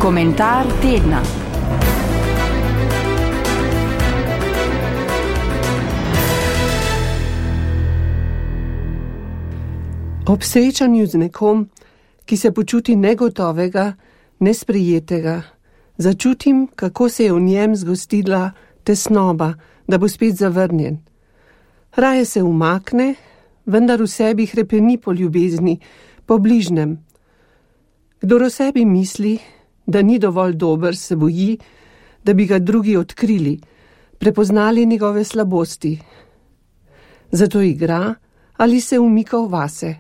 Komentar tedna. Ob srečanju z nekom, ki se počuti negotovega, nesprejetega, začutim, kako se je v njem zgostila tesnoba, da bo spet zavrnjen. Raje se umakne, vendar v sebi hrepeni po ljubezni, po bližnem. Kdor o sebi misli, da ni dovolj dober, se boji, da bi ga drugi odkrili, prepoznali njegove slabosti. Zato igra ali se umika v vase.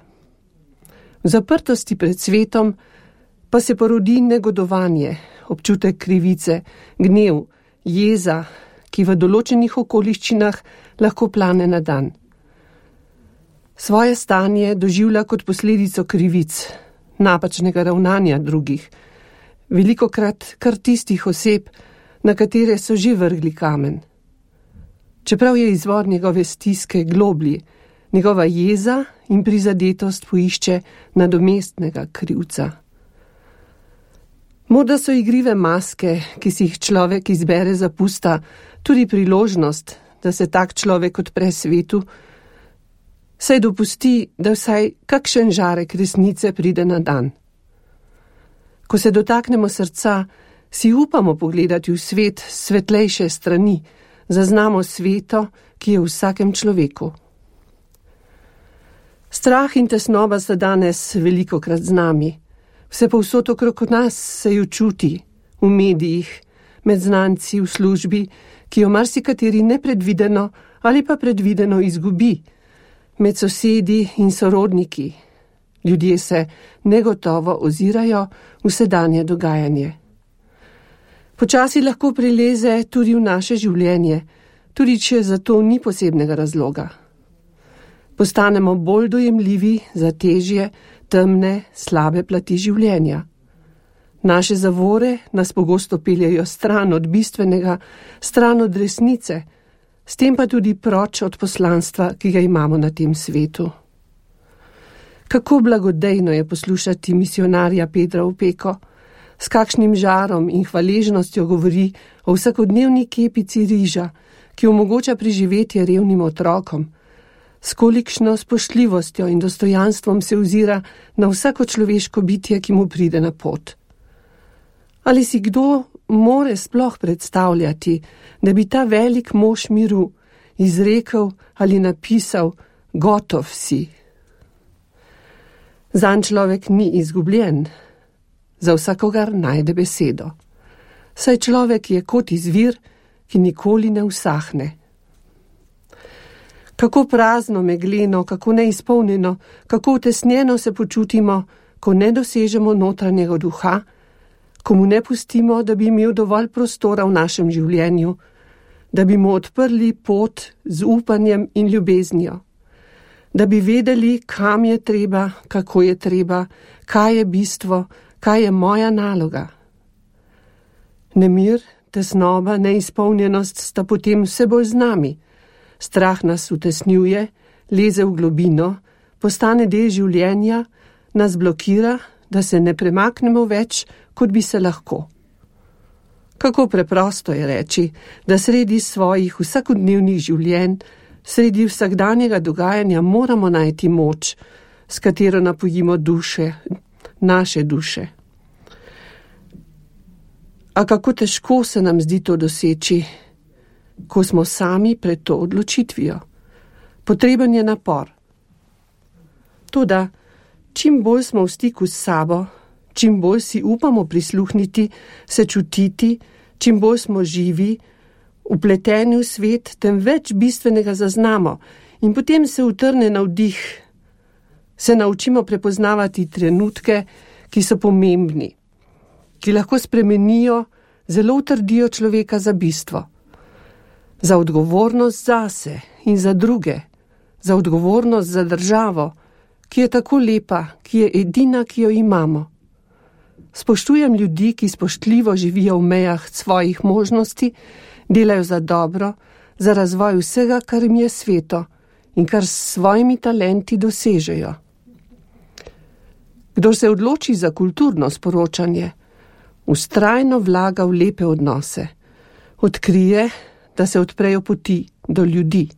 V zaprtosti pred svetom pa se porodi negodovanje, občutek krivice, gnev, jeza, ki v določenih okoliščinah lahko plane na dan. Svoje stanje doživlja kot posledico krivic, napačnega ravnanja drugih, velikokrat kar tistih oseb, na katere so že vrgli kamen. Čeprav je izvor njegove stiske globlji, njegova jeza in prizadetost poišče nadomestnega krivca. Morda so igrive maske, ki si jih človek izbere za pusta, tudi priložnost, da se tak človek odpre svetu, saj dopusti, da vsaj kakšen žarek resnice pride na dan. Ko se dotaknemo srca, si upamo pogledati v svet svetlejše strani, zaznamo sveto, ki je v vsakem človeku. Strah in tesnoba sta danes velikokrat z nami. Vse povsod okrog nas se jo čuti, v medijih, med znanci, v službi, ki jo marsikateri nepredvideno ali pa predvideno izgubi, med sosedi in sorodniki. Ljudje se negotovo ozirajo v sedanje dogajanje. Počasi lahko prileze tudi v naše življenje, tudi če za to ni posebnega razloga. Postanemo bolj dojemljivi za težje, temne, slabe plati življenja. Naše zavore nas pogosto peljejo stran od bistvenega, stran od resnice, s tem pa tudi proč od poslanstva, ki ga imamo na tem svetu. Kako blagodejno je poslušati misionarja Pedra Opeko, s kakšnim žarom in hvaležnostjo govori o vsakodnevni kepici riža, ki omogoča preživetje revnim otrokom, s kolikšno spoštljivostjo in dostojanstvom se ozira na vsako človeško bitje, ki mu pride na pot. Ali si kdo more sploh predstavljati, da bi ta velik mož miru izrekel ali napisal gotov si? Zanj človek ni izgubljen, za vsakogar najde besedo. Saj človek je kot izvir, ki nikoli ne usahne. Kako prazno, megleno, kako neizpolnjeno, kako utesnjeno se počutimo, ko ne dosežemo notranjega duha, ko mu ne pustimo, da bi imel dovolj prostora v našem življenju, da bi mu odprli pot z upanjem in ljubeznijo, da bi vedeli, kam je treba, kako je treba, kaj je bistvo, kaj je moja naloga. Nemir, tesnoba, neizpolnjenost sta potem vse bolj z nami. Strah nas utesnjuje, leze v globino, postane del življenja, nas blokira, da se ne premaknemo več, kot bi se lahko. Kako preprosto je reči, da sredi svojih vsakodnevnih življenj, sredi vsakdanjega dogajanja moramo najti moč, s katero napojimo duše, naše duše. A kako težko se nam zdi to doseči, ko smo sami pred to odločitvijo. Potreben je napor. Toda, čim bolj smo v stiku s sabo, čim bolj si upamo prisluhniti, se čutiti, čim bolj smo živi, vpleteni v svet, tem več bistvenega zaznamo in potem se utrne navdih. Se naučimo prepoznavati trenutke, ki so pomembni, ki lahko spremenijo, zelo utrdijo človeka za bistvo. Za odgovornost zase in za druge, za odgovornost za državo, ki je tako lepa, ki je edina, ki jo imamo. Spoštujem ljudi, ki spoštljivo živijo v mejah svojih možnosti, delajo za dobro, za razvoj vsega, kar jim je sveto in kar s svojimi talenti dosežejo. Kdor se odloči za kulturno sporočanje, Vztrajno vlaga v lepe odnose. Odkrije, da se odprejo poti do ljudi.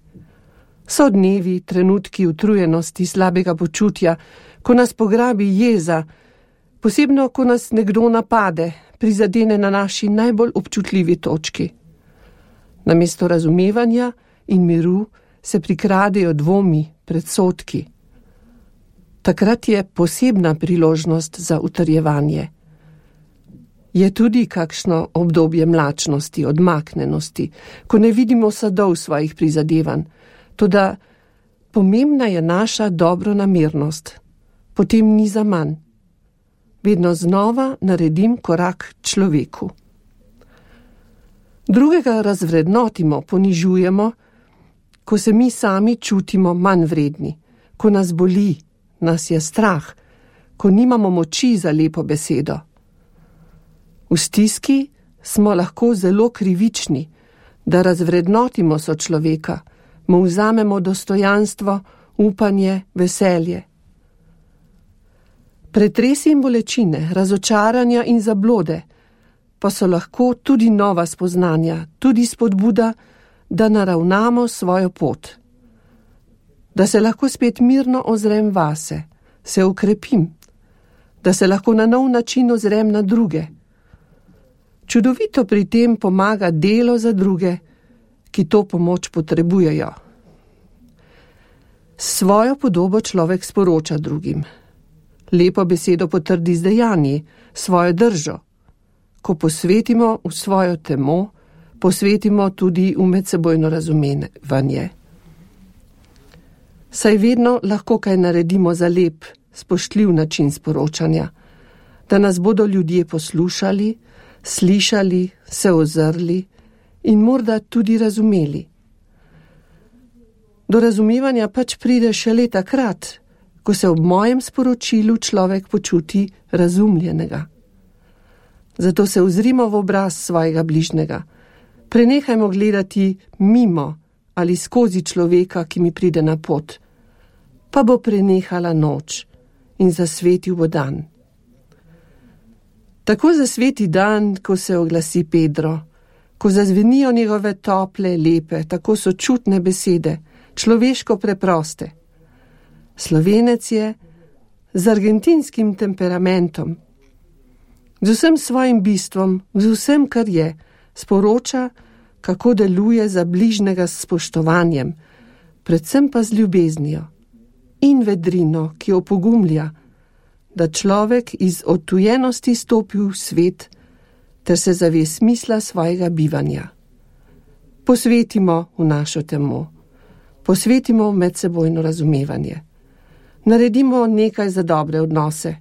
So dnevi, trenutki utrujenosti, slabega počutja, ko nas pograbi jeza, posebno, ko nas nekdo napade, prizadene na naši najbolj občutljivi točki. Namesto razumevanja in miru se prikradejo dvomi, predsodki. Takrat je posebna priložnost za utrjevanje. Je tudi kakšno obdobje mlačnosti, odmaknenosti, ko ne vidimo sadov svojih prizadevanj, toda pomembna je naša dobronamernost, potem ni zaman. Vedno znova naredim korak človeku. Drugega razvrednotimo, ponižujemo, ko se mi sami čutimo manj vredni, ko nas boli, nas je strah, ko nimamo moči za lepo besedo. V stiski smo lahko zelo krivični, da razvrednotimo sočloveka, mu vzamemo dostojanstvo, upanje, veselje. Pretresi in bolečine, razočaranja in zablode pa so lahko tudi nova spoznanja, tudi spodbuda, da naravnamo svojo pot. Da se lahko spet mirno ozrem vase, se ukrepim, da se lahko na nov način ozrem na druge. Čudovito pri tem pomaga delo za druge, ki to pomoč potrebujejo. Svojo podobo človek sporoča drugim. Lepo besedo potrdi z dejanji, svojo držo. Ko posvetimo v svojo temo, posvetimo tudi v medsebojno razumevanje. Saj vedno lahko kaj naredimo za lep, spoštljiv način sporočanja, da nas bodo ljudje poslušali, slišali, se ozrli in morda tudi razumeli. Do razumevanja pač pride šele takrat, ko se ob mojem sporočilu človek počuti razumljenega. Zato se ozrimo v obraz svojega bližnjega. Prenehajmo gledati mimo ali skozi človeka, ki mi pride na pot, pa bo prenehala noč in zasvetil bo dan. Tako zasveti dan, ko se oglasi Pedro, ko zazvenijo njegove tople, lepe, tako sočutne besede, človeško preproste. Slovenec je z argentinskim temperamentom, z vsem svojim bistvom, z vsem, kar je, sporoča, kako deluje za bližnjega s spoštovanjem, predvsem pa z ljubeznijo in vedrino, ki opogumlja, da človek iz odtujenosti stopi v svet ter se zave smisla svojega bivanja. Posvetimo v našo temo, posvetimo v medsebojno razumevanje. Naredimo nekaj za dobre odnose.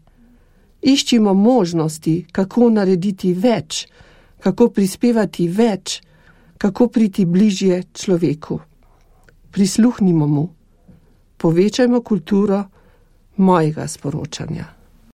Iščimo možnosti, kako narediti več, kako prispevati več, kako priti bližje človeku. Prisluhnimo mu. Povečajmo kulturo mojega sporočanja.